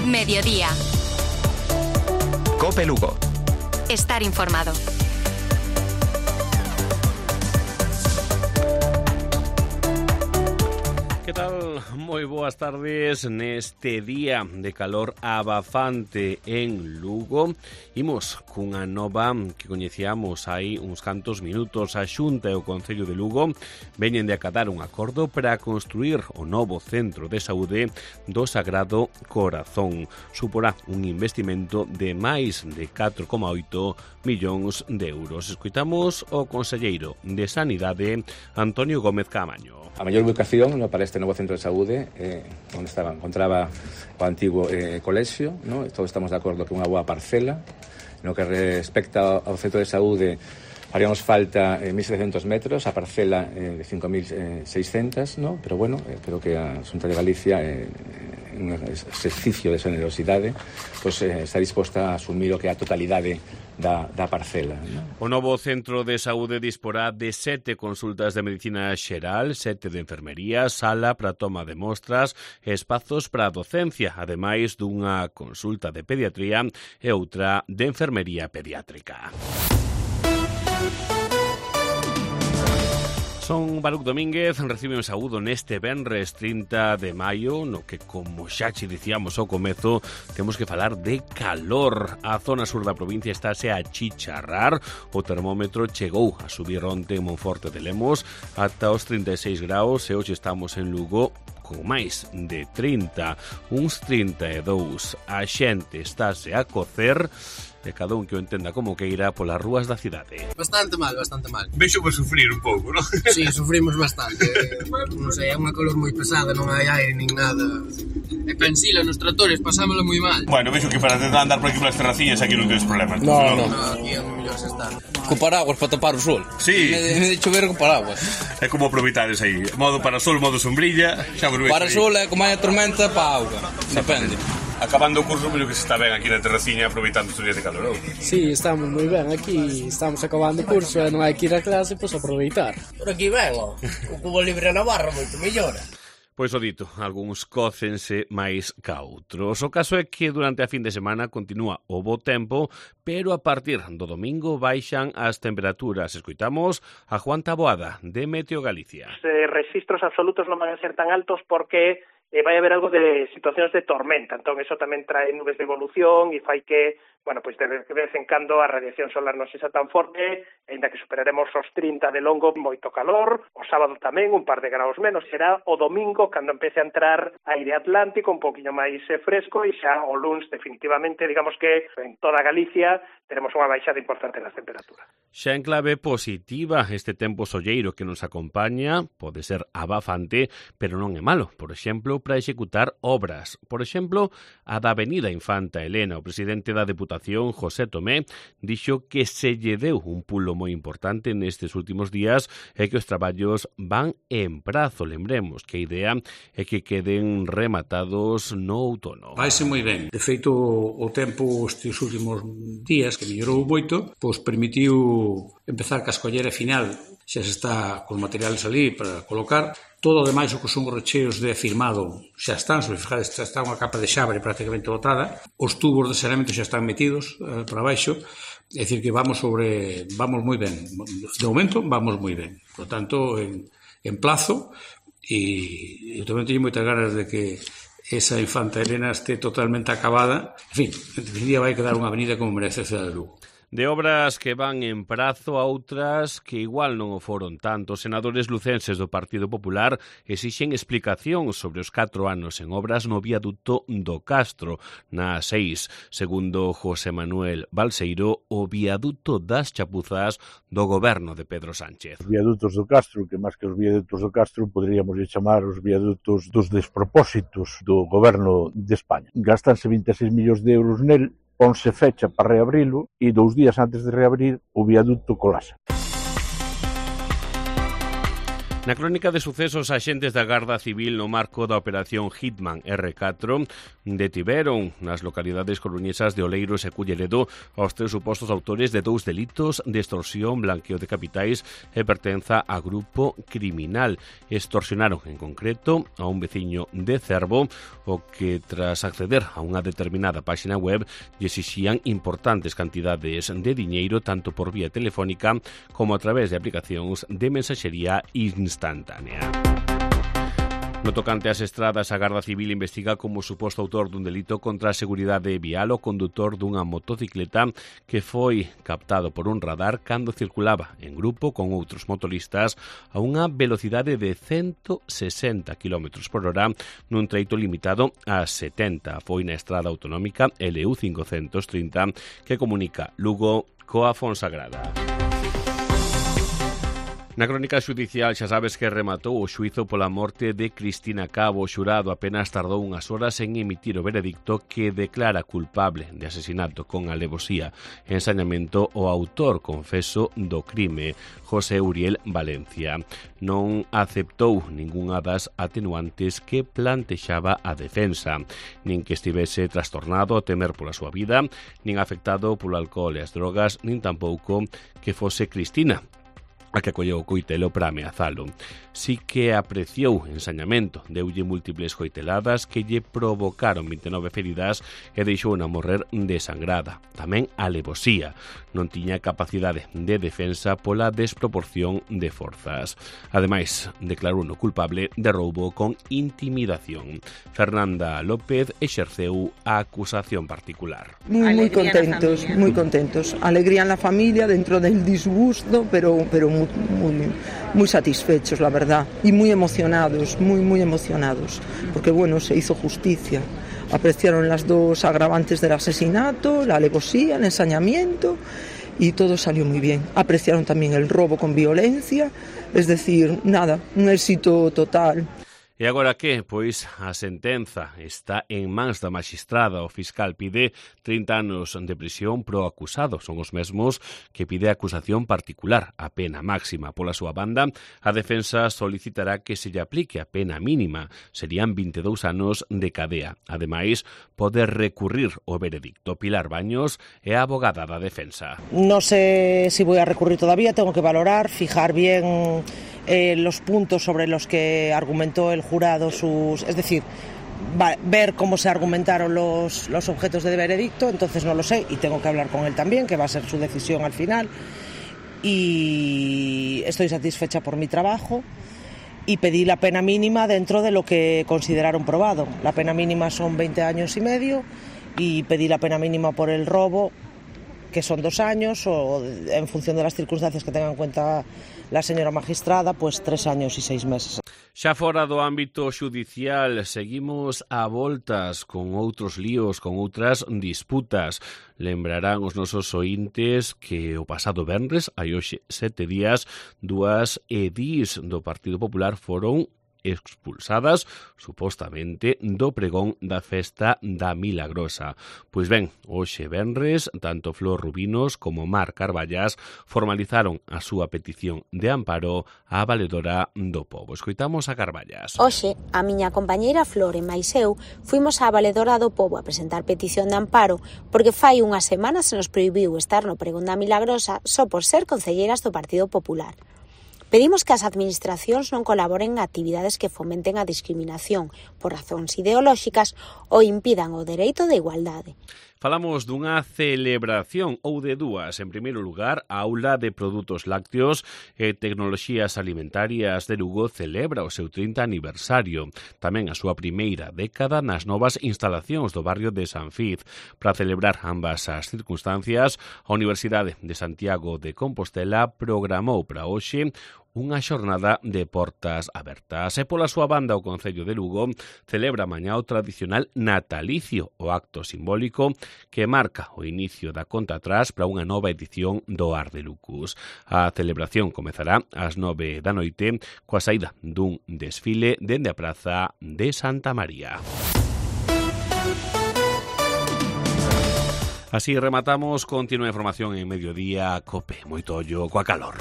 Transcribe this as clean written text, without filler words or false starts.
Mediodía. COPE Lugo. Estar informado. Que tal? Moi boas tardes neste día de calor abafante en Lugo. Imos cunha nova que coñecíamos hai uns cantos minutos. A Xunta e o Concello de Lugo veñen de acatar un acordo para construir o novo centro de saúde do Sagrado Corazón. Suporá un investimento de máis de 4,8 millóns de euros. Escoitamos o conselleiro de Sanidade, Antonio Gómez Caamaño. A mellor ubicación para este novo centro de saúde onde encontraba o antigo colexio, no? Todos estamos de acordo que unha boa parcela. No que respecta ao centro de saúde, haríamos falta 1.700 metros, a parcela de 5.600, ¿no? Pero bueno, creo que a Xunta de Galicia, un exercicio de generosidade, pues, está disposta a asumir o que é a totalidade da parcela, ¿no? O novo centro de saúde disporá de 7 consultas de medicina xeral, 7 de enfermería, sala para toma de mostras, espazos para docencia, ademais dunha consulta de pediatría e outra de enfermería pediátrica. Son Baruc Domínguez, recibe un saúdo neste venres 30 de maio, no que, como xa che dicíamos ao comezo, temos que falar de calor. A zona sur da provincia estáse a chicharrar, o termómetro chegou a subir onte en Monforte de Lemos ata os 36 graus e hoxe estamos en Lugo con máis de 30, uns 32. A xente estáse a cocer e cada un que o entenda como queira polas rúas da cidade. Bastante mal, bastante mal. Vexo por sufrir un pouco, non? Sí, sufrimos bastante. Non sei, é unha calor moi pesada, non hai aire nin nada. E pensila nos tratores, pasámoslo moi mal. Bueno, vexo que para tentar andar por aquí polas terraciñas aquí non tens problemas. No, aquí é mellor se estar. Co paraguas para tapar o sol. Sí. Me de chover co paraguas. É como aproveitares aí. Modo para sol, modo sombrilla. Xa para sol é como hai a tormenta para auga. Depende. Acabando o curso, pero que se está ben aquí na terraciña aproveitando estes días de calor. Sí, estamos moi ben aquí, estamos acabando o curso e non hai que ir a clase, pois aproveitar. Por aquí ben, ó. O cubo libre na barra moito mellor. Pois o dito, algúns cócense máis ca outros. O caso é que durante a fin de semana continúa o bo tempo, pero a partir do domingo baixan as temperaturas. Escoitamos a Juan Taboada, de Meteo Galicia. Os registros absolutos non van a ser tan altos porque vai haber algo de situacións de tormenta, entón eso tamén trae nubes de evolución e fai que, bueno, pois de vez en cando a radiación solar non sexa tan forte, ainda que superaremos os 30 de longo, moito calor, o sábado tamén un par de graus menos, será o domingo cando empece a entrar aire atlántico un poquinho máis fresco e xa o luns definitivamente, digamos que en toda Galicia teremos unha baixada importante nas temperaturas. Xa en clave positiva, este tempo solleiro que nos acompaña pode ser abafante, pero non é malo, por exemplo, para executar obras. Por exemplo, a da Avenida Infanta Elena. O presidente da Deputación, José Tomé, dixo que se lle deu un pulo moi importante nestes últimos días e que os traballos van en prazo. Lembremos que a idea é que queden rematados no outono. Vaise moi ben. De feito, o tempo estes últimos días, que mellorou moito, pois permitiu empezar ca escollera final. Xa se está con materiales ali para colocar. Todo o demais o que son os recheos de firmado xa están, se fijades, xa está unha capa de xabre prácticamente botada. Os tubos de saneamento xa están metidos para baixo. É dicir que vamos moi ben. De momento vamos moi ben. Por tanto, en plazo, e eu tamén teño moitas ganas de que esa Infanta Elena este totalmente acabada. En fin, en definitiva vai quedar unha avenida como merece a cidade de Lugo. De obras que van en prazo a outras que igual non o foron tanto. Os senadores lucenses do Partido Popular exixen explicación sobre os 4 anos en obras no viaduto do Castro, na A6. Segundo José Manuel Balseiro, o viaduto das Chapuzas do goberno de Pedro Sánchez. Os viadutos do Castro, que máis que os viadutos do Castro, poderíamos chamar os viadutos dos despropósitos do goberno de España. Gastanse 26 millóns de euros nel, ponse fecha para reabrilo e 2 días antes de reabrir o viaduto colapsa. Na crónica de sucesos, axentes da Garda Civil no marco da Operación Hitman R4 detiveron nas localidades coruñesas de Oleiros e Culleredo aos 3 supostos autores de 2 delitos de extorsión, blanqueo de capitais e pertenza a grupo criminal. Extorsionaron en concreto a un veciño de Cervo, o que tras acceder a unha determinada páxina web lle exixían importantes cantidades de diñeiro tanto por vía telefónica como a través de aplicacións de mensaxería instantánea. No tocante ás estradas, a Garda Civil investiga como suposto autor dun delito contra a seguridade vial o condutor dunha motocicleta que foi captado por un radar cando circulaba en grupo con outros motoristas a unha velocidade de 160 km por hora nun treito limitado a 70. Foi na estrada autonómica LU 530 que comunica Lugo coa Fonsagrada. Na crónica xudicial xa sabes que rematou o xuízo pola morte de Cristina Cabo. O xurado apenas tardou unhas horas en emitir o veredicto que declara culpable de asesinato con alevosía e ensañamento o autor confeso do crime, José Uriel Valencia. Non aceptou ningunha das atenuantes que plantexaba a defensa, nin que estivese trastornado a temer pola súa vida, nin afectado polo alcohol e as drogas, nin tampouco que fose Cristina a que acolleu o coitelo para ameazalo. Si que apreciou ensañamento, deulle múltiples coiteladas que lle provocaron 29 feridas e deixou-na morrer desangrada. Tamén alevosía. Non tiña capacidade de defensa pola desproporción de forzas. Ademais, declarou no culpable de roubo con intimidación. Fernanda López exerceu a acusación particular. Muy contentos. Alegría en la familia dentro del disgusto, pero muy satisfechos, la verdad, y muy emocionados, porque bueno, se hizo justicia. Apreciaron las 2 agravantes del asesinato, la alevosía, el ensañamiento, y todo salió muy bien. Apreciaron también el robo con violencia, es decir, nada, un éxito total. E agora que? Pois a sentenza está en mans da maxistrada. O fiscal pide 30 anos de prisión pro acusado. Son os mesmos que pide a acusación particular, a pena máxima. Pola súa banda, a defensa solicitará que se lle aplique a pena mínima. Serían 22 anos de cadea. Ademais, pode recurrir o veredicto. Pilar Baños é a abogada da defensa. No sé si voy a recurrir todavía, tengo que valorar, fijar bien los puntos sobre los que argumentó el jurado es decir, ver cómo se argumentaron los objetos de veredicto. Entonces no lo sé y tengo que hablar con él también, que va a ser su decisión al final, y estoy satisfecha por mi trabajo y pedí la pena mínima dentro de lo que consideraron probado. La pena mínima son 20 años y medio y pedí la pena mínima por el robo, que son 2 años, o en función de las circunstancias que tenga en cuenta la señora magistrada, pues 3 años y 6 meses. Xa fora do ámbito xudicial, seguimos a voltas con outros líos, con outras disputas. Lembrarán os nosos oíntes que o pasado venres, hai hoxe 7 días, 2 edís do Partido Popular foron expulsadas, supostamente, do pregón da festa da Milagrosa. Pois ben, hoxe venres, tanto Flor Rubinos como Mar Carballas formalizaron a súa petición de amparo á valedora do pobo. Escoitamos a Carballas. Hoxe, a miña compañeira Flor e máis eu fuimos á valedora do pobo a presentar petición de amparo porque fai unha semana se nos prohibiu estar no pregón da Milagrosa só por ser concelleiras do Partido Popular. Pedimos que as administracións non colaboren en actividades que fomenten a discriminación por razóns ideolóxicas ou impidan o dereito de igualdade. Falamos dunha celebración ou de 2. En primeiro lugar, a Aula de Produtos Lácteos e Tecnoloxías Alimentarias de Lugo celebra o seu 30 aniversario. Tamén a súa primeira década nas novas instalacións do barrio de San Fiz. Para celebrar ambas as circunstancias, a Universidade de Santiago de Compostela programou para hoxe unha xornada de portas abertas. E pola súa banda, o Concello de Lugo celebra mañá o tradicional natalicio, o acto simbólico que marca o inicio da conta atrás para unha nova edición do Ar de Lucus. A celebración comezará ás 9 da noite coa saída dun desfile dende a Praza de Santa María. Así rematamos. Continúa a información en Mediodía Cope. Moito ollo coa calor.